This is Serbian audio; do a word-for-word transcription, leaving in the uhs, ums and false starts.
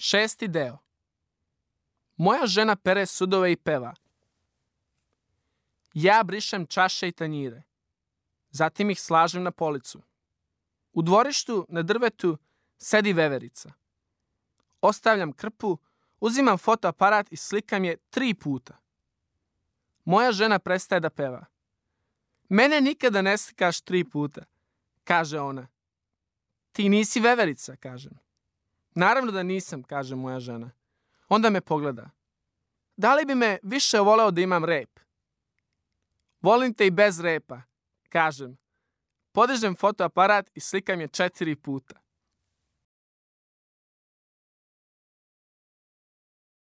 Šesti deo. Moja žena pere sudove i peva. Ja brišem čaše i tanjire. Zatim ih slažem na policu. U dvorištu na drvetu sedi veverica. Ostavljam krpu, uzimam fotoaparat i slikam je tri puta. Moja žena prestaje da peva. Mene nikada ne slikaš tri puta, kaže ona. Ti nisi veverica, kažem. Naravno da nisam, kaže moja žena. Onda me pogleda. Da li bi me više voleo da imam rep? Volim te i bez repa, kažem. Podižem fotoaparat i slikam je četiri puta.